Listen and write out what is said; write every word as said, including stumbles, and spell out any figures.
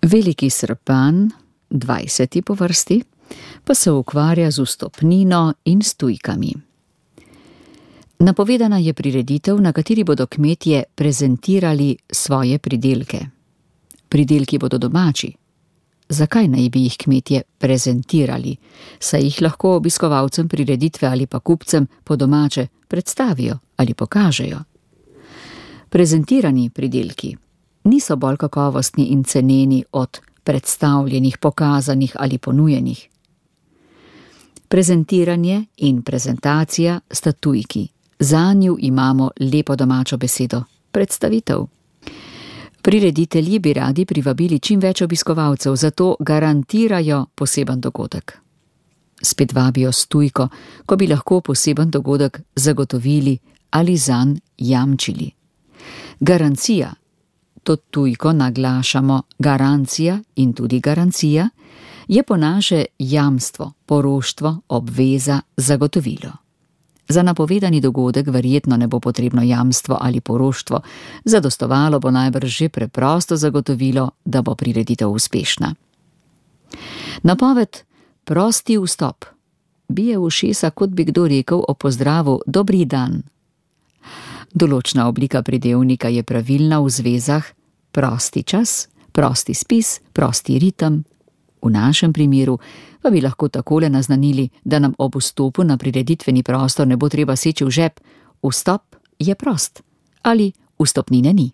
Veliki Srpan, dvajseti po vrsti, pa se ukvarja z vstopnino in s tujkami. Napovedana je prireditev, na kateri bodo kmetje prezentirali svoje pridelke. Pridelki bodo domači. Zakaj naj bi jih kmetje prezentirali, saj jih lahko obiskovalcem prireditve ali pa kupcem po domače predstavijo ali pokažejo? Prezentirani pridelki niso bolj kakovostni in ceneni od predstavljenih, pokazanih ali ponujenih. Prezentiranje in prezentacija sta tujki. Zanju imamo lepo domačo besedo – predstavitev. Prireditelji bi radi privabili čim več obiskovalcev, zato garantirajo poseben dogodek. Spet vabijo s tujko, ko bi lahko poseben dogodek zagotovili ali zanj jamčili. Garancija, to tujko naglašamo garancija in tudi garancija, je po naše jamstvo, poroštvo, obveza, zagotovilo. Za napovedani dogodek verjetno ne bo potrebno jamstvo ali poroštvo, zadostovalo bo najbrž že preprosto zagotovilo, da bo prireditev uspešna. Napoved prosti vstop bije v ušesa, kot bi kdo rekel o pozdravu dobri dan. Določna oblika pridevnika je pravilna v zvezah prosti čas, prosti spis, prosti ritem. V našem primeru pa bi lahko takole naznanili, da nam ob vstopu na prireditveni prostor ne bo treba seči v žep, vstop je prost ali vstopnine ni.